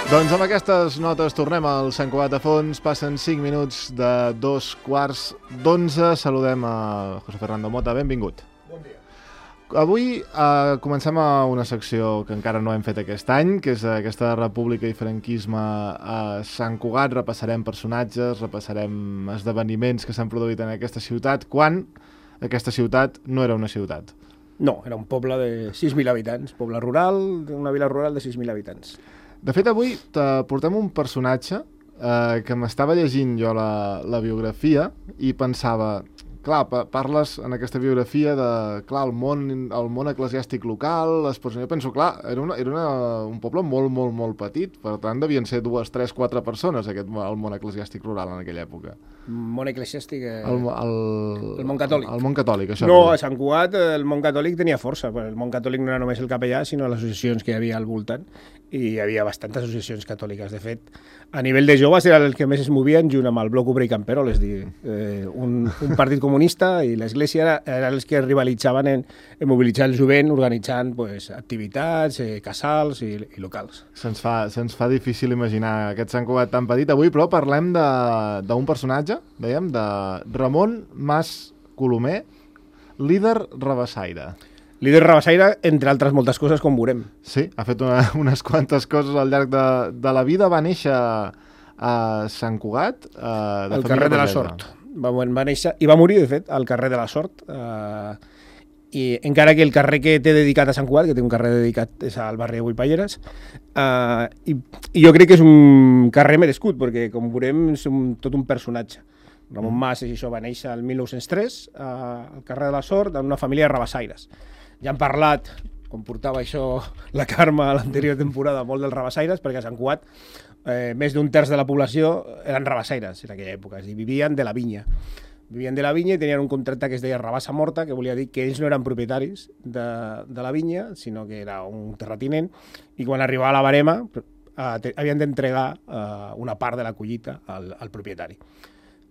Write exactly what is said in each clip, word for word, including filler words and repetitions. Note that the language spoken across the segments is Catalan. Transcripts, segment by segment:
Doncs amb aquestes notes tornem al Sant Cugat de Fons. Passen cinc minuts de dos quarts d'onze. Saludem a José Fernando Mota. Benvingut. Bon dia. Avui eh, comencem a una secció que encara no hem fet aquest any, que és aquesta República i franquisme a Sant Cugat. Repassarem personatges, repassarem esdeveniments que s'han produït en aquesta ciutat, quan aquesta ciutat no era una ciutat. No, era un poble de sis mil habitants, poble rural, una vila rural de sis mil habitants. De fet, avui portem un personatge eh, que m'estava llegint jo la, la biografia i pensava, clar, pa parles en aquesta biografia de, clar, el món, el món eclesiàstic local, les persones... Jo penso, clar, era, una, era una, un poble molt, molt, molt petit, per tant devien ser dues, tres, quatre persones aquest, el món eclesiàstic rural en aquella època. Món eclesiàstic... Eh... El, el, el món catòlic. El món catòlic, això. No, a Sant Cugat el món catòlic tenia força. El món catòlic no era només el capellà, sinó les associacions que hi havia al voltant. I hi havia bastantes associacions catòliques. De fet, a nivell de joves era el que més es movien junt amb el Bloc Obrer i Camperol, és dir, eh, un, un partit comunista, i l'Església era, eren els que rivalitzaven en, en mobilitzar el jovent organitzant pues, activitats, eh, casals i, i locals. Se'ns fa, se'ns fa difícil imaginar aquest Sant Cugat tan petit. Avui, però, parlem d'un personatge, dèiem, de Ramon Mas Colomer, líder rabassaire. Líder rabassaire, entre altres moltes coses, com veurem. Sí, ha fet una, unes quantes coses al llarg de, de la vida. Va néixer a Sant Cugat, eh, de al carrer de la Sort. Va, va néixer, i va morir, de fet, al carrer de la Sort. Eh, i encara que el carrer que té dedicat a Sant Cugat, que té un carrer dedicat és al barri de Guipalleres, eh, i, i jo crec que és un carrer merescut, perquè, com veurem, és un, tot un personatge. Ramon Mas, i això, va néixer el mil nou-cents tres eh, al carrer de la Sort, en una família de rabassaires. Ja han parlat, com portava això la Carme a l'anterior temporada, molt dels rabassaires, perquè a Sant Cugat eh, més d'un terç de la població eren rabassaires en aquella època, és a dir, vivien de la vinya. Vivien de la vinya i tenien un contracte que es deia rabassa morta, que volia dir que ells no eren propietaris de, de la vinya, sinó que era un terratinent, i quan arribava la barema eh, havien d'entregar eh, una part de la collita al, al propietari.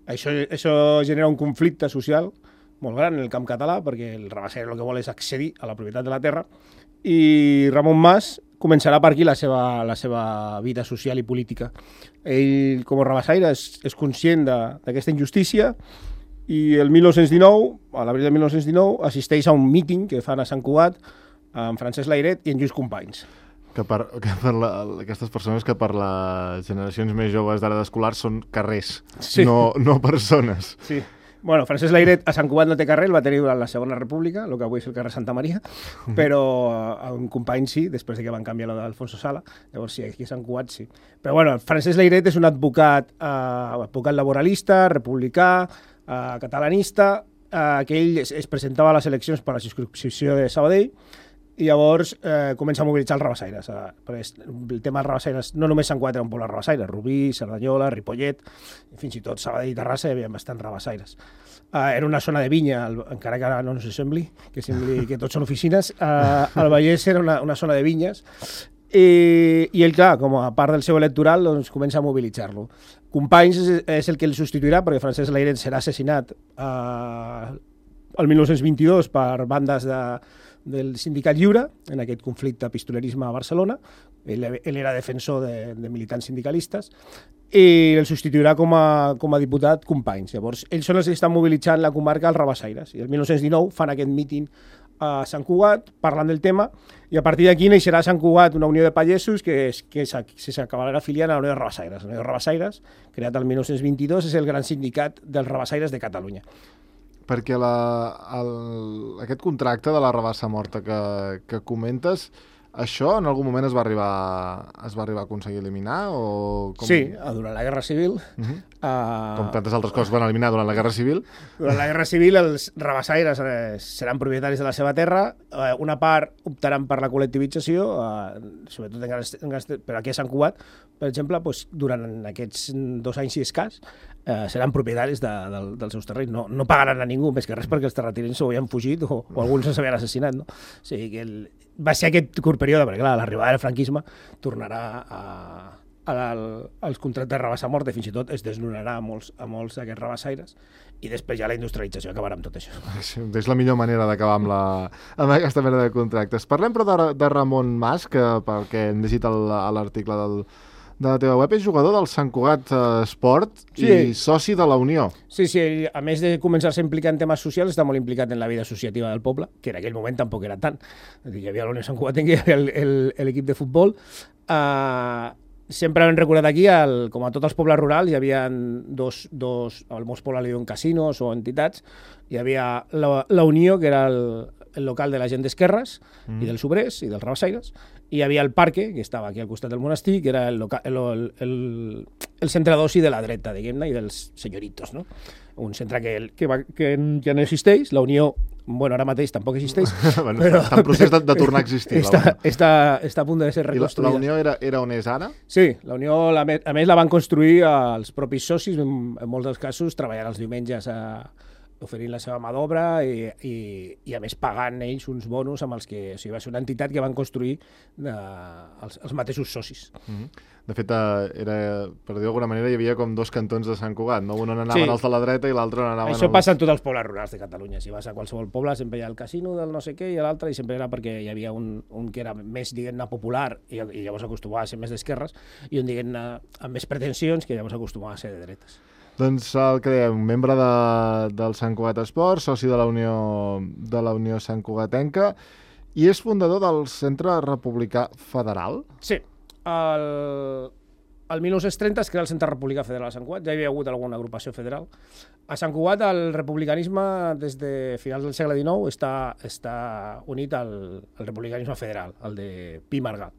Això, això genera un conflicte social molt gran en el camp català, perquè el rabassaire el que vol és accedir a la propietat de la terra, i Ramon Mas començarà per aquí la seva, la seva vida social i política. Ell, com a rabassaire, és, és conscient d'aquesta injustícia, i el mil nou-cents dinou, a l'abril de mil nou-cents dinou, assisteix a un míting que fan a Sant Cugat amb Francesc Layret i en Lluís Companys. Que per, que per la, aquestes persones que per les generacions més joves d'ara d'escolars són carrers, sí. no, no persones. Sí. Bueno, Francesc Layret a Sant Cugat no té carrer, el va tenir durant la Segona República, el que avui és el carrer Santa Maria, però a un company sí, després de que van canviar la d'Alfonso Sala, llavors sí, aquí a Sant Cugat sí. Però bueno, Francesc Layret és un advocat, eh, advocat laboralista, republicà, eh, catalanista, eh, que ell es, es presentava a les eleccions per a la circumscripció de Sabadell, i llavors eh, comença a mobilitzar els rabassaires. Eh, perquè el tema dels rabassaires, no només Sant Cugat era un poble rabassaire, Rubí, Cerdanyola, Ripollet, i fins i tot Sabadell i Terrassa hi havia bastants rabassaires. Eh, era una zona de vinya, el, encara que ara no se sembli, que sembli que tots són oficines, eh, el Vallès era una, una zona de vinyes, i, i ell, clar, com a part del seu electoral, doncs, comença a mobilitzar-lo. Companys és, és el que el substituirà, perquè Francesc Layret serà assassinat eh, el mil nou-cents vint-i-dos per bandes de del Sindicat Lliure, en aquest conflicte pistolerisme a Barcelona. Ell, ell era defensor de, de militants sindicalistes, i el substituirà com a, com a diputat Companys. Llavors, ells són els que estan mobilitzant la comarca als rabassaires. I el mil nou-cents dinou fan aquest míting a Sant Cugat, parlant del tema, i a partir d'aquí neixerà a Sant Cugat una unió de pagesos que, és, que s'acabarà afiliant a la unió de rabassaires. La unió de rabassaires, creat el mil nou-cents vint-i-dos, és el gran sindicat dels rabassaires de Catalunya. Perquè la, el, aquest contracte de la rabassa morta que, que comentes, això en algun moment es va arribar, es va arribar a aconseguir eliminar? O com... Sí, durant la Guerra Civil. Uh-huh. uh... Com tantes altres coses van eliminar durant la Guerra Civil. Durant la Guerra Civil els rabassaires eh, seran propietaris de la seva terra, eh, una part optaran per la col·lectivització, eh, sobretot en grans, en grans, però aquí a Sant Cugat, per exemple, doncs, durant aquests dos anys i escàs, eh, seran propietaris de, de, dels seus terrenys. No, no pagaran a ningú, més que res perquè els terratinents s'ho havien fugit o, o alguns s'havien assassinat. No? O sigui que el, va ser aquest curt període, perquè clar, l'arribada del franquisme tornarà a, a, a, als contractes de rabassa morta, i fins i tot es desnonarà a molts, a molts d'aquests rabassaires, i després ja la industrialització acabarà amb tot això. Sí, és la millor manera d'acabar amb, la, amb aquesta mena de contractes. Parlem però de, de Ramon Mas, que pel que hem llegit a l'article del, de la teva web és jugador del Sant Cugat Esport Sí. i soci de la Unió. Sí, sí, ell, a més de començar-se a implicar en temes socials, està molt implicat en la vida associativa del poble, que en aquell moment tampoc era tant. És a dir, hi havia la Unió Sant Cugatenca, hi havia el- el- el- l'equip de futbol. Uh, sempre hem recordat aquí, el, com a tots els pobles rurals, hi havia dos, dos al molts pobles li diuen casinos o entitats. Hi havia la, la Unió, que era el, el local de la gent d'esquerres mm. i dels obrers i dels rabassaires, i hi havia el Parque, que estava aquí al costat del monestir, que era el, loca, el, el, el, el centre d'oci de la dreta, diguem-ne, i dels senyoritos, no? Un centre que, que, va, que ja no existeix, la Unió, bueno, ara mateix tampoc existeix, bueno, però... està en procés de, de tornar a existir. Està, la Unió. està, està a punt de ser I la, reconstruïda. la Unió era, era on és ara? Sí, la Unió, la, a més, la van construir els propis socis, en, en molts dels casos, treballant els diumenges a, oferint la seva mà d'obra i, i, i a més pagant ells uns bonus amb els que, o sigui, va ser una entitat que van construir eh, els, els mateixos socis. Mm-hmm. De fet, eh, era, per dir d'alguna manera, hi havia com dos cantons de Sant Cugat, no? Un on anaven Sí. els de la dreta i l'altre on anaven Això els... passa en tots els pobles rurals de Catalunya. Si vas a qualsevol poble sempre hi ha el casino del no sé què i l'altre, i sempre era perquè hi havia un, un que era més, diguem-ne, popular i, i llavors acostumava a ser més d'esquerres, i un, diguem-ne, amb més pretensions que llavors acostumava a ser de dretes. Doncs el que dèiem, membre de, del Sant Cugat Esport, soci de la Unió de la Unió Sant Cugatenca, i és fundador del Centre Republicà Federal. Sí, el, el mil nou-cents trenta es crea el Centre Republicà Federal a Sant Cugat, ja hi havia hagut alguna agrupació federal. A Sant Cugat el republicanisme des de finals del segle dinou està, està unit al, al republicanisme federal, el de Pi i Margall.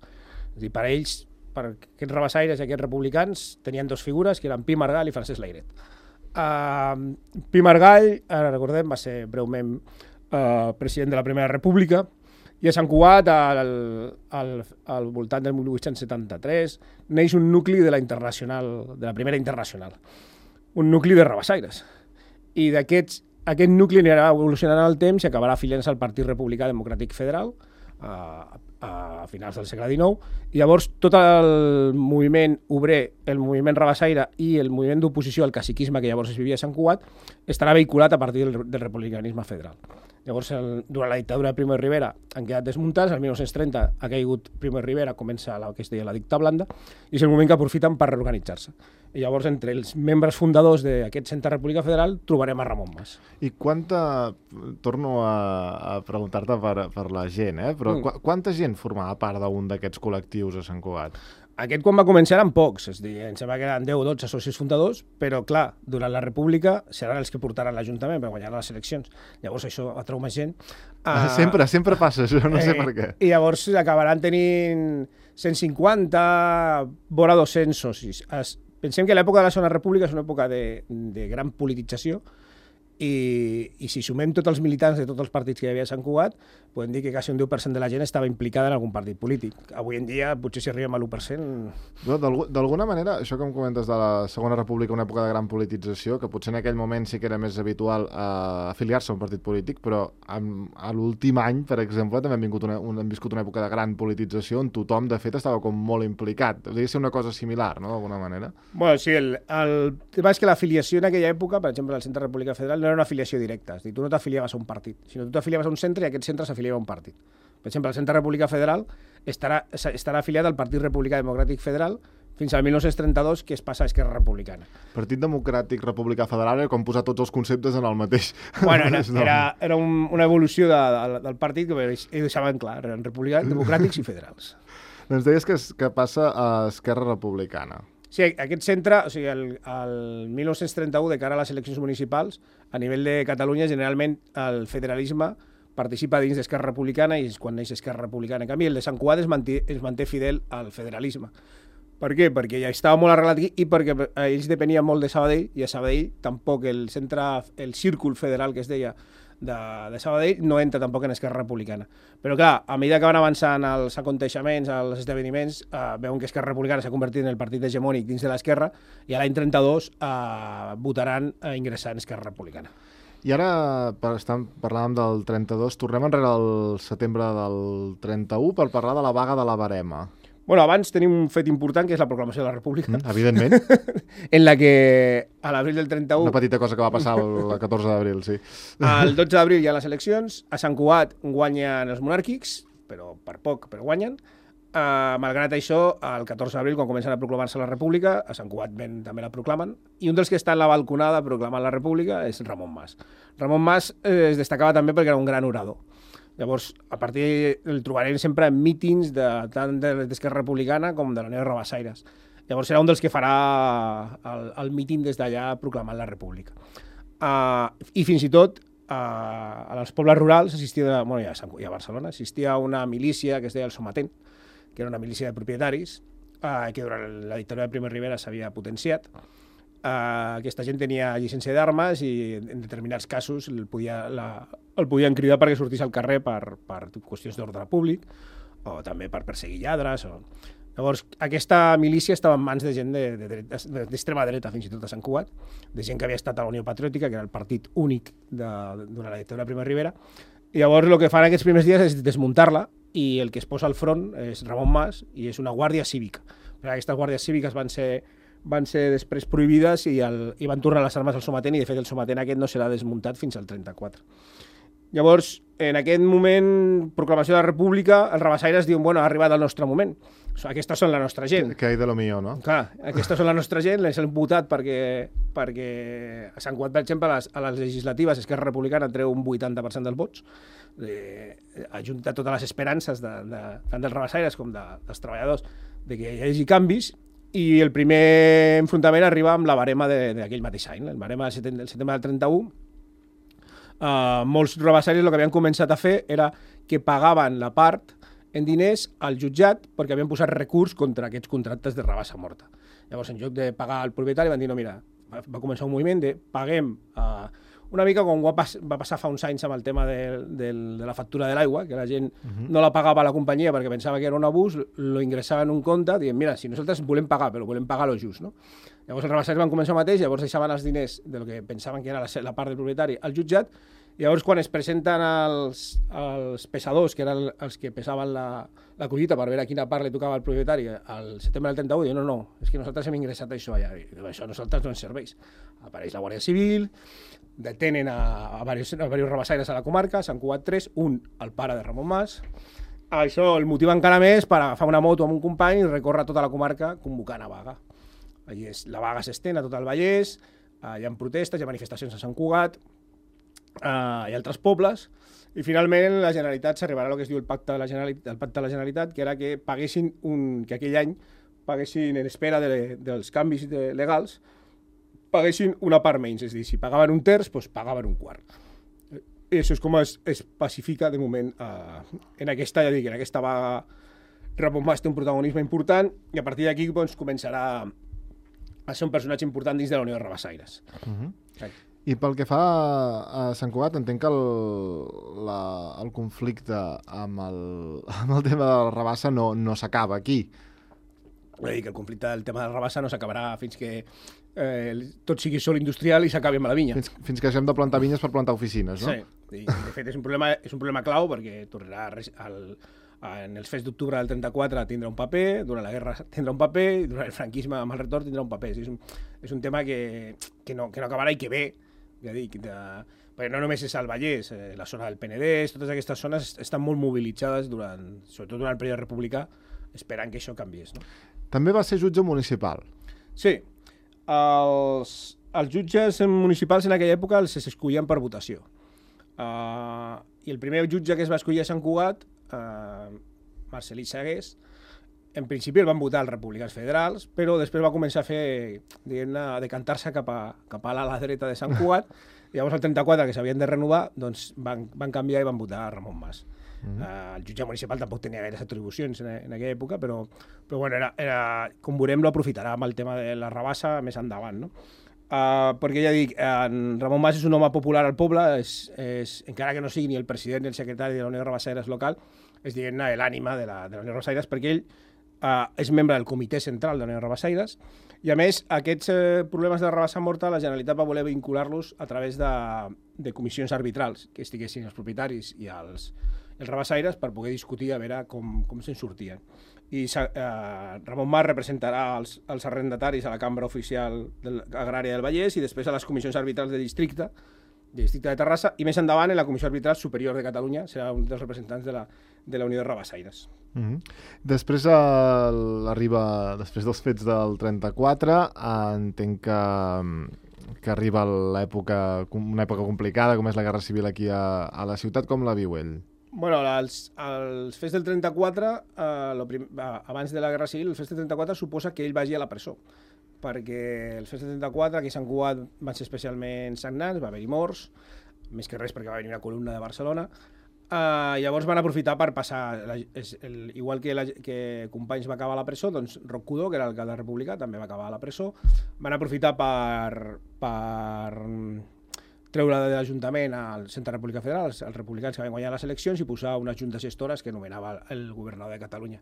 És a dir, per ells, per aquests rabassaires i aquests republicans, tenien dos figures, que eren Pi i Margall i Francesc Layret. Uh, Pi i Margall, ara recordem, va ser breument uh, president de la Primera República, i a Sant Cugat, al, al, al voltant del mil vuit-cents setanta-tres, neix un nucli de la internacional, de la Primera Internacional, un nucli de rabassaires. I d'aquests, aquest nucli anirà evolucionant en el temps i acabarà afiliant-se al Partit Republicà Democràtic Federal, a, a finals del segle dinou, i llavors tot el moviment obrer, el moviment rabassaire i el moviment d'oposició al caciquisme que llavors es vivia a Sant Cugat estarà vehiculat a partir del, del republicanisme federal. Llavors, el, durant la dictadura de Primo de Rivera han quedat desmuntats, el mil nou-cents trenta ha caigut Primo de Rivera, comença la que es deia la dicta blanda, i és el moment que aprofiten per reorganitzar-se. I llavors, entre els membres fundadors d'aquest Centre República Federal, trobarem a Ramon Mas. I quanta... Torno a, a preguntar-te per, per la gent, eh? Però mm. qu quanta gent formava part d'un d'aquests col·lectius a Sant Cugat? Aquest, quan va començar, eren pocs, és a dir, em sembla que eren deu o dotze socis fundadors, però, clar, durant la República seran els que portaran l'Ajuntament per guanyar les eleccions. Llavors això atrau més gent. Uh, sempre, sempre passa això, no sé eh, per què. I llavors acabaran tenint cent cinquanta, vora dos-cents socis. Es, pensem que l'època de la Segona República és una època de, de gran politització, i, i si sumem tots els militants de tots els partits que hi havia a Sant Cugat, podem dir que quasi un deu per cent de la gent estava implicada en algun partit polític. Avui en dia, potser si arribem a l'u per cent... No, d'alguna manera, això que em comentes de la Segona República, una època de gran politització, que potser en aquell moment sí que era més habitual eh, afiliar-se a un partit polític, però en, a l'últim any, per exemple, també hem, vingut una, un, hem viscut una època de gran politització on tothom, de fet, estava com molt implicat. Hauria de ser una cosa similar, no?, d'alguna manera. Bueno, sí, el, el tema és que l'afiliació en aquella època, per exemple, al Centre República Federal, no era una afiliació directa, és a dir, tu no t'afiliaves a un partit, sinó tu t'afiliaves a un centre i aquest centre s'afiliava a un partit. Per exemple, el Centre República Federal estarà, estarà afiliat al Partit Republicà Democràtic Federal fins al mil nou-cents trenta-dos, que es passa a Esquerra Republicana. Partit Democràtic Republicà Federal era com posar tots els conceptes en el mateix. Bueno, era, era, era un, una evolució de, de, del partit que ells deixaven clar, eren republicans, democràtics i federals. Doncs deies que, que passa a Esquerra Republicana. Sí, aquest centre, o sigui, el, el mil nou-cents trenta-u, de cara a les eleccions municipals, a nivell de Catalunya, generalment el federalisme participa dins d'Esquerra Republicana i és quan neix Esquerra Republicana. En canvi, el de Sant Cugat es manté, es manté fidel al federalisme. Per què? Perquè ja estava molt arrelat aquí i perquè ells depenien molt de Sabadell, i a Sabadell tampoc el centre, el círcul federal que es deia de, de Sabadell no entra tampoc en Esquerra Republicana. Però clar, a mesura que van avançant els aconteixements, els esdeveniments, eh, veuen que Esquerra Republicana s'ha convertit en el partit hegemònic dins de l'Esquerra i a l'any trenta-dos eh, votaran a ingressar en Esquerra Republicana. I ara, per, estem, parlàvem del trenta-dos, tornem enrere al setembre del trenta-u per parlar de la vaga de la Verema. Bueno, abans tenim un fet important, que és la proclamació de la República. Mm, evidentment. En la que, a l'abril del trenta-u... Una petita cosa que va passar el catorze d'abril, sí. El dotze d'abril hi ha les eleccions, a Sant Cugat guanyen els monàrquics, però per poc, però guanyen. Uh, malgrat això, el catorze d'abril, quan comencen a proclamar-se la República, a Sant Cugat ben, també la proclamen, i un dels que està en la balconada proclamant la República és Ramon Mas. Ramon Mas eh, es destacava també perquè era un gran orador. Llavors, a partir el trobarem sempre en mítings de, tant de l'Esquerra Republicana com de la Unió de Rabassaires. Llavors serà un dels que farà el, el míting des d'allà proclamant la República. Uh, I fins i tot uh, als pobles rurals assistia, bueno, ja a, Sant, ja a Barcelona, assistia una milícia que es deia el Somatent, que era una milícia de propietaris, eh, que durant la dictadura de Primo de Rivera s'havia potenciat. Eh, aquesta gent tenia llicència d'armes i en determinats casos el, podia, la, el podien cridar perquè sortís al carrer per, per qüestions d'ordre públic o també per perseguir lladres. O... Llavors, aquesta milícia estava en mans de gent d'extrema de, de, dreta, fins i tot a Sant Cugat, de gent que havia estat a la Unió Patriòtica, que era el partit únic de, durant la dictadura de Primo de Rivera. I llavors el que fan aquests primers dies és desmuntar-la, i el que es posa al front és Ramon Mas i és una guàrdia cívica. Aquestes guàrdies cíviques van ser, van ser després prohibides i, el, i van tornar les armes al Somatent, i de fet el Somatent aquest no serà desmuntat fins al trenta-quatre. Llavors, en aquest moment, proclamació de la República, els rabassaires diuen, bueno, ha arribat el nostre moment. Aquestes són la nostra gent. Que hay de lo mío, no? Clar, aquestes són la nostra gent, les hem votat perquè, perquè a Sant Cugat, per exemple, a les, a les legislatives, Esquerra Republicana treu un vuitanta per cent dels vots, eh, ajunta totes les esperances de, de, tant dels rabassaires com de, dels treballadors de que hi hagi canvis, i el primer enfrontament arriba amb la barema d'aquell mateix any, el barema del setembre, del setembre del trenta-u. Uh, molts rabassaires el que havien començat a fer era que pagaven la part en diners al jutjat perquè havien posat recurs contra aquests contractes de rabassa morta. Llavors, en lloc de pagar al propietari, van dir, no, mira, va, va començar un moviment de paguem uh, una mica com va, pas, va passar fa uns anys amb el tema de, de, de la factura de l'aigua, que la gent uh-huh. no la pagava a la companyia perquè pensava que era un abús, lo ingressava en un compte, dient, mira, si nosaltres volem pagar, però volem pagar lo just, no? Llavors els rabassaires van començar el mateix, llavors deixaven els diners del que pensaven que era la, la part del propietari al jutjat, i llavors quan es presenten els, els pesadors, que eren els que pesaven la, la collita per veure a quina part li tocava al propietari al setembre del trenta-u, diuen, no, no, és que nosaltres hem ingressat això allà, i això a nosaltres no ens serveix. Apareix la Guàrdia Civil, detenen a, a, diversos, a diversos rabassaires a la comarca, Sant Cugat tres, un, el pare de Ramon Mas. Això el motiva encara més per agafar una moto amb un company i recórrer tota la comarca convocant a vaga. Allí és, la vaga s'estén a tot el Vallès, uh, hi ha protestes, hi ha manifestacions a Sant Cugat, uh, hi ha altres pobles, i finalment la Generalitat s'arribarà a el que es diu el pacte de la Generalitat, el pacte de la Generalitat, que era que paguessin un, que aquell any paguessin en espera de, dels canvis de, legals, paguessin una part menys, és a dir, si pagaven un terç, doncs pagaven un quart. I això és com es, es pacifica de moment uh, en aquesta, ja dic, en aquesta vaga. Ramon Mas té un protagonisme important i a partir d'aquí doncs, començarà a ser un personatge important dins de la Unió de Rabassaires. Uh-huh. I pel que fa a Sant Cugat, entenc que el, la, el conflicte amb el, amb el tema de la rabassa no, no s'acaba aquí. Vull dir que el conflicte del tema de la rabassa no s'acabarà fins que eh, tot sigui sol industrial i s'acabi amb la vinya. Fins, fins que hagem de plantar vinyes per plantar oficines, no? Sí, i de fet és un problema, és un problema clau perquè tornarà al, en els fets d'octubre del trenta-quatre tindrà un paper, durant la guerra tindrà un paper, i durant el franquisme amb el retorn tindrà un paper. És un, és un tema que, que, no, que no acabarà i que ve, ja dic, de, perquè no només és el Vallès, eh, la zona del Penedès, totes aquestes zones estan molt mobilitzades, durant, sobretot durant el període republicà, esperant que això canviés. No? També va ser jutge municipal. Sí. Els, els jutges municipals en aquella època els escollien per votació. Uh, I el primer jutge que es va escollir a Sant Cugat, uh, Marcelí Sagués, en principi el van votar els republicans federals, però després va començar a fer, diguem-ne, a decantar-se cap a, cap a l'ala dreta de Sant Cugat, i llavors el trenta-quatre, que s'havien de renovar, doncs van, van canviar i van votar a Ramon Mas. Uh-huh. Uh, el jutge municipal tampoc tenia gaires atribucions en, en aquella època, però, però bueno, era, era, com veurem, lo aprofitarà amb el tema de la rabassa més endavant, no? Uh, perquè ja dic, en Ramon Mas és un home popular al poble, és, és, encara que no sigui ni el president ni el secretari de la Unió de Rabassaires local, és, diguem-ne, l'ànima de la, de la Unió de Rabassaires, perquè ell uh, és membre del comitè central de la Unió de Rabassaires, i a més, aquests uh, problemes de rabassa morta, la Generalitat va voler vincular-los a través de, de comissions arbitrals, que estiguessin els propietaris i els, els rabassaires per poder discutir a veure com, com se'n sortien. I eh, Ramon Mas representarà els, els arrendataris a la Cambra Oficial del, Agrària del Vallès i després a les comissions arbitrals de districte del districte de Terrassa, i més endavant en la Comissió Arbitral Superior de Catalunya, serà un dels representants de la, de la Unió de Rabassaires. Mm -hmm. Després uh, arriba, després dels fets del trenta-quatre, uh, entenc que, que arriba l'època, una època complicada, com és la Guerra Civil aquí a, a la ciutat. Com la viu ell? Bueno, els, els fets del trenta-quatre, eh, lo prim, abans de la Guerra Civil, els fets del trenta-quatre suposa que ell vagi a la presó, perquè els fets del trenta-quatre aquí a Sant Cugat van ser especialment sagnants, va haver-hi morts, més que res perquè va venir una columna de Barcelona. Uh, llavors van aprofitar per passar, la, és, el, igual que, la, que Companys va acabar a la presó, doncs Roc Cudó, que era l'alcalde republicà, també va acabar a la presó. Van aprofitar per, per treure de l'Ajuntament al Centre República Federal, els, els republicans que van guanyar les eleccions, i posar unes juntes gestores que nomenava el governador de Catalunya.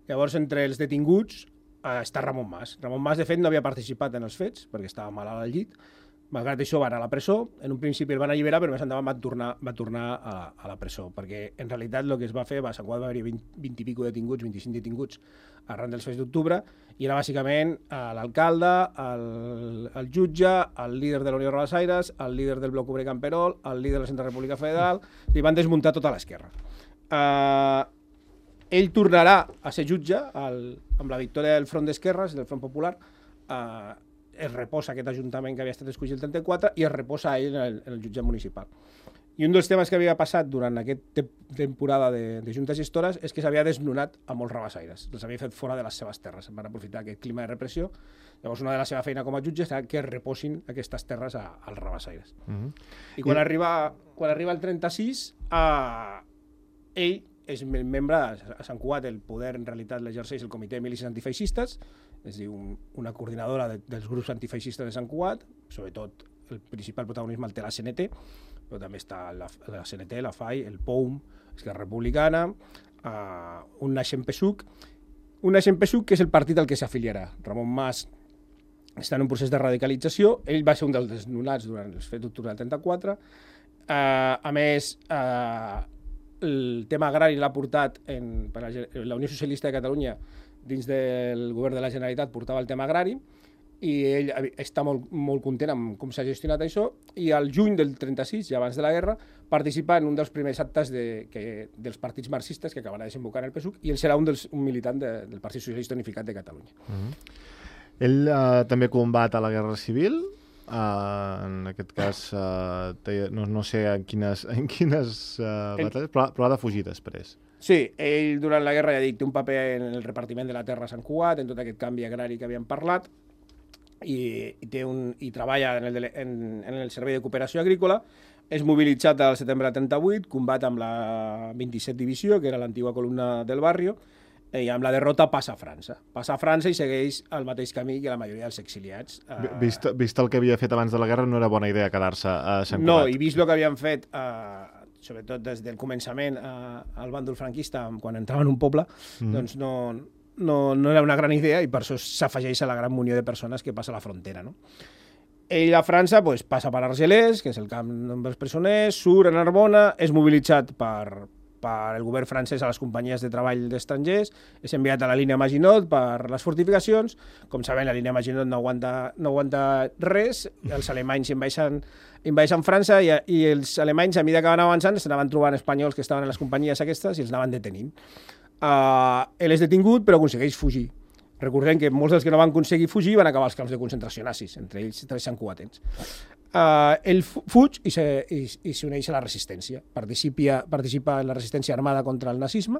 Llavors, entre els detinguts eh, està Ramon Mas. Ramon Mas, de fet, no havia participat en els fets, perquè estava malalt al llit. Malgrat això, va anar a la presó. En un principi el van alliberar, però més endavant va tornar, va tornar a, a la presó, perquè en realitat el que es va fer, va, a Sant Cugat va haver-hi vint, vint i pico detinguts, vint-i-cinc detinguts arran dels fets d'octubre, i era bàsicament l'alcalde, el, el jutge, el líder de la Unió de Rabassaires, el líder del Bloc Obrer Camperol, el líder de la Centre República Federal, li van desmuntar tota l'esquerra. Uh, ell tornarà a ser jutge el, amb la victòria del Front d'Esquerres, del Front Popular. Uh, es reposa aquest ajuntament que havia estat escollit el trenta-quatre i es reposa a ell en el, en el jutjat municipal. I un dels temes que havia passat durant aquesta temporada de, de juntes gestores és que s'havia desnonat a molts rabassaires. Els havia fet fora de les seves terres. Van aprofitar aquest clima de repressió. Llavors, una de la seva feina com a jutge serà que reposin aquestes terres a, als rabassaires. Mm-hmm. I quan, I... Arriba, quan arriba el trenta-sis, eh, ell és membre, a Sant Cugat el poder en realitat l'exerceix el Comitè de Milícies Antifeixistes, és a dir, un, una coordinadora de, dels grups antifeixistes de Sant Cugat, sobretot el principal protagonisme el té la C N T, però també està la, la C N T, la F A I, el P O U M, Esquerra Republicana, uh, un naixent P S U C, un naixent P S U C que és el partit al que s'afiliarà. Ramon Mas està en un procés de radicalització, ell va ser un dels desnonats durant els fets d'octubre del trenta-quatre, uh, a més, uh, el tema agrari l'ha portat en, per la, la Unió Socialista de Catalunya dins del govern de la Generalitat portava el tema agrari i ell està molt, molt content amb com s'ha gestionat això i al juny del trenta-sis, ja abans de la guerra, participa en un dels primers actes de, que, dels partits marxistes que acabarà desembocant en el P S U C i ell serà un, dels, un militant de, del Partit Socialista Unificat de Catalunya. Mm-hmm. Ell uh, també combat a la Guerra Civil. Uh, en aquest cas uh, té, no, no sé en quines, en quines uh, ell... batalles, però, però ha de fugir després. Sí, ell durant la guerra ja dic, té un paper en el repartiment de la terra a Sant Cugat, en tot aquest canvi agrari que havíem parlat, i, i, té un, i treballa en el, en, en el Servei de Cooperació Agrícola, és mobilitzat al setembre del trenta-vuit, combat amb la vint-i-set Divisió, que era l'antiga columna del barri, i amb la derrota passa a França. Passa a França i segueix el mateix camí que la majoria dels exiliats. Vist, vist el que havia fet abans de la guerra, no era bona idea quedar-se a Sant Cugat. No, i vist el que havien fet, eh, sobretot des del començament eh, al bàndol franquista, quan entrava en un poble, mm. doncs no, no, no era una gran idea i per això s'afegeix a la gran munió de persones que passa a la frontera. No? Ell a França pues, passa per Argelès, que és el camp dels presoners, surt a Narbona, és mobilitzat per... per el govern francès a les companyies de treball d'estrangers, és enviat a la línia Maginot per les fortificacions. Com sabem, la línia Maginot no aguanta, no aguanta res, els alemanys invadeixen, invadeixen França i, i els alemanys, a mesura que van avançant, s'anaven trobant espanyols que estaven a les companyies aquestes i els anaven detenint. Uh, ell és detingut, però aconsegueix fugir. Recordem que molts dels que no van aconseguir fugir van acabar als camps de concentració nazis, entre ells tres santcugatens. Uh, ell fuig i s'uneix a la resistència. Participa, participa en la resistència armada contra el nazisme,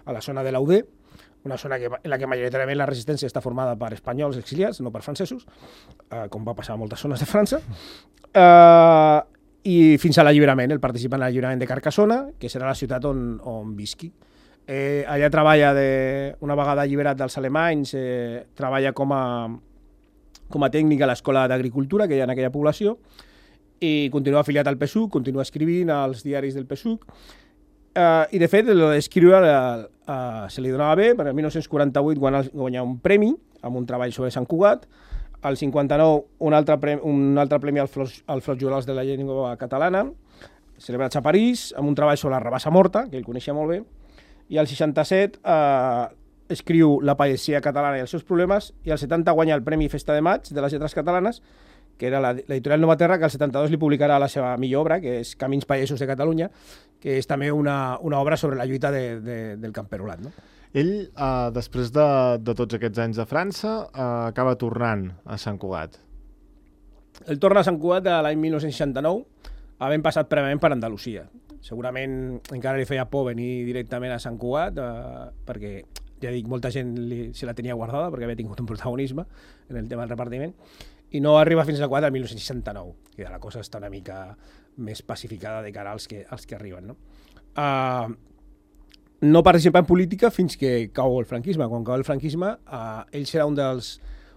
a la zona de l'Audé, una zona que, en la que majoritàriament la resistència està formada per espanyols exiliats, no per francesos, uh, com va passar a moltes zones de França, uh, i fins a l'alliberament. Ell participa en l'alliberament de Carcassona, que serà la ciutat on, on visqui. Eh, allà treballa, de, una vegada alliberat dels alemanys, eh, treballa com a, com a tècnic a l'Escola d'Agricultura que hi ha en aquella població i continua afiliat al P S U C, continua escrivint als diaris del P S U C. Eh, I, de fet, el d'escriure eh, se li donava bé, perquè el dinou quaranta-vuit guanya un premi amb un treball sobre Sant Cugat, al cinquanta-nou un altre premi, un altre premi al Flors, al Flors Jurals de la llengua catalana, celebrat a París, amb un treball sobre la rabassa morta, que ell coneixia molt bé, i al seixanta-set eh, escriu La pagesia catalana i els seus problemes, i al setanta guanya el Premi Festa de Maig de les Lletres Catalanes, que era l'editorial Nova Terra, que al setanta-dos li publicarà la seva millor obra, que és Camins Pallesos de Catalunya, que és també una, una obra sobre la lluita de, de, del camperolat. No? Ell, eh, després de, de tots aquests anys de França, eh, acaba tornant a Sant Cugat. Ell torna a Sant Cugat l'any mil nou-cents seixanta-nou, havent passat prèviament per Andalusia. Segurament encara li feia por venir directament a Sant Cugat, eh, perquè, ja dic, molta gent li, se la tenia guardada, perquè havia tingut un protagonisme en el tema del repartiment, i no arriba fins al quatre, el mil nou-cents seixanta-nou, que la cosa està una mica més pacificada de cara als que, als que arriben. No? Uh, no participa en política fins que cau el franquisme. Quan cau el franquisme, uh, ell serà un dels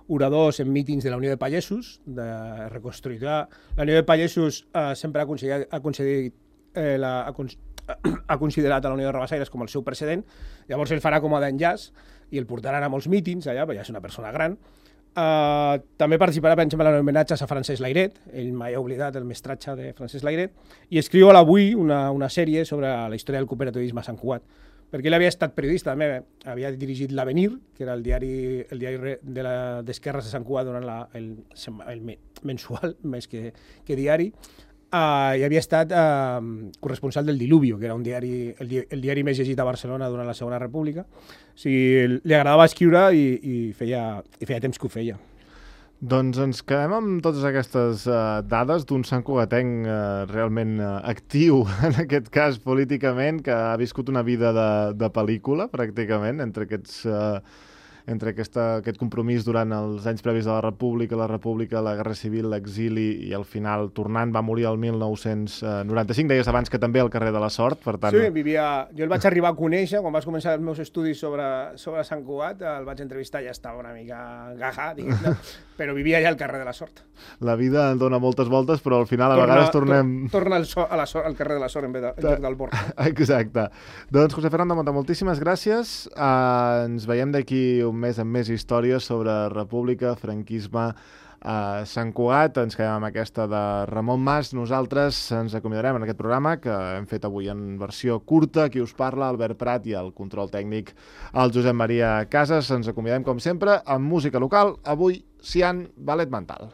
oradors en mítings de la Unió de Pallesos, de reconstruir. La Unió de Pallesos uh, sempre ha considerat, ha, concedit, eh, la, ha, cons ha considerat a la Unió de Rabassaires com el seu precedent. Llavors ell farà com a d'enllaç i el portaran a molts mítings allà, perquè ja és una persona gran. Uh, també participarà, per exemple, en homenatges a Francesc Layret, ell mai ha oblidat el mestratge de Francesc Layret, i escriu a l'Avui una, una sèrie sobre la història del cooperativisme a Sant Cugat, perquè ell havia estat periodista, també havia dirigit l'Avenir, que era el diari, el diari de d'esquerres de Sant Cugat durant la, el, el mensual, més que, que diari, uh, i havia estat uh, corresponsal del Diluvio, que era un diari, el, di el diari més llegit a Barcelona durant la Segona República. O sigui, li agradava escriure i, i, feia, i feia temps que ho feia. Doncs ens quedem amb totes aquestes uh, dades d'un santcugatenc uh, realment uh, actiu, en aquest cas políticament, que ha viscut una vida de, de pel·lícula, pràcticament, entre aquests... Uh, entre aquesta, aquest compromís durant els anys previs de la República, la República, la Guerra Civil, l'exili i al final tornant va morir el mil nou-cents noranta-cinc, deies abans que també al carrer de la Sort, per tant... Sí, vivia... Jo el vaig arribar a conèixer, quan vaig començar els meus estudis sobre, sobre Sant Cugat, el vaig entrevistar, ja estava una mica gaja, diguem, no? Però vivia allà al carrer de la Sort. La vida dona moltes voltes, però al final a torna, vegades tornem... Tor torna al, so, a la so, al carrer de la Sort en vez, de, en vez del Bord. Exacte. Doncs, José Fernando Monta, moltíssimes gràcies. Uh, ens veiem d'aquí un mes amb més històries sobre república, franquisme, a Sant Cugat. Ens quedem amb aquesta de Ramon Mas. Nosaltres ens acomiadarem en aquest programa que hem fet avui en versió curta. Qui us parla, Albert Prat, i el control tècnic, el Josep Maria Casas. Ens acomiadem, com sempre, amb música local. Avui, Cian Ballet Mental.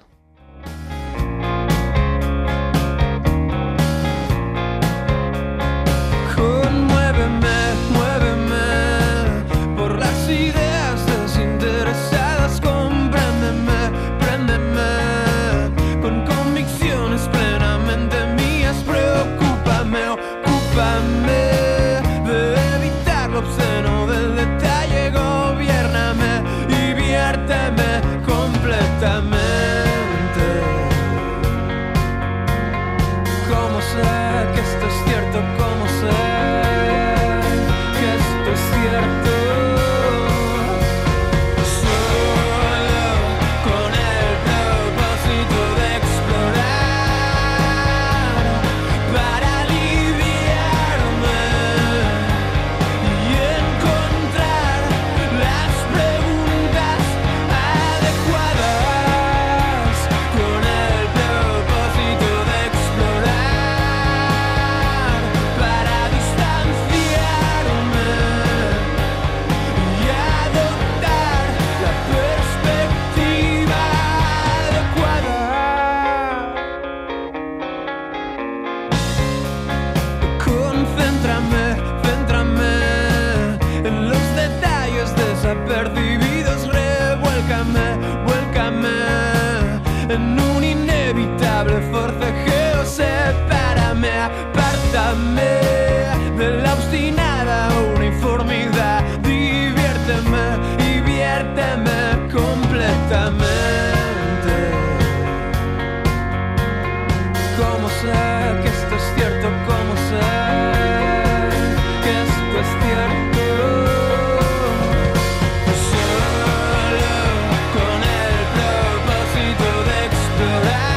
Conmuéveme, muéveme por las ideas desinteresadas, compréndeme, préndeme con convicciones plenamente mías, preocúpame, ocúpame de evitar lo obsceno del detalle, gobiérname y viérteme completamente. ¿Cómo sé que esto es cierto? ¿Cómo sé que esto es cierto? Percibidos, revuélcame, vuélcame en un inevitable forcejeo, sepárame, apártame de la obstinada uniformidad, diviérteme y viérteme completamente. ¿Cómo sé que esto es cierto? ¿Cómo sé que esto es cierto? Con el propósito de explorar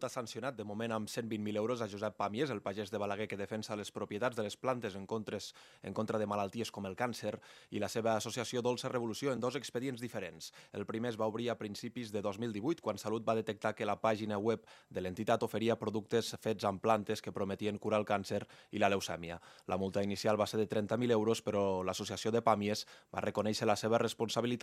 Salut ha sancionat de moment amb cent vint mil euros a Josep Pàmies, el pagès de Balaguer que defensa les propietats de les plantes en, contres, en contra de malalties com el càncer, i la seva associació Dolça Revolució en dos expedients diferents. El primer es va obrir a principis de dos mil divuit, quan Salut va detectar que la pàgina web de l'entitat oferia productes fets amb plantes que prometien curar el càncer i la leucèmia. La multa inicial va ser de trenta mil euros, però l'associació de Pàmies va reconèixer la seva responsabilitat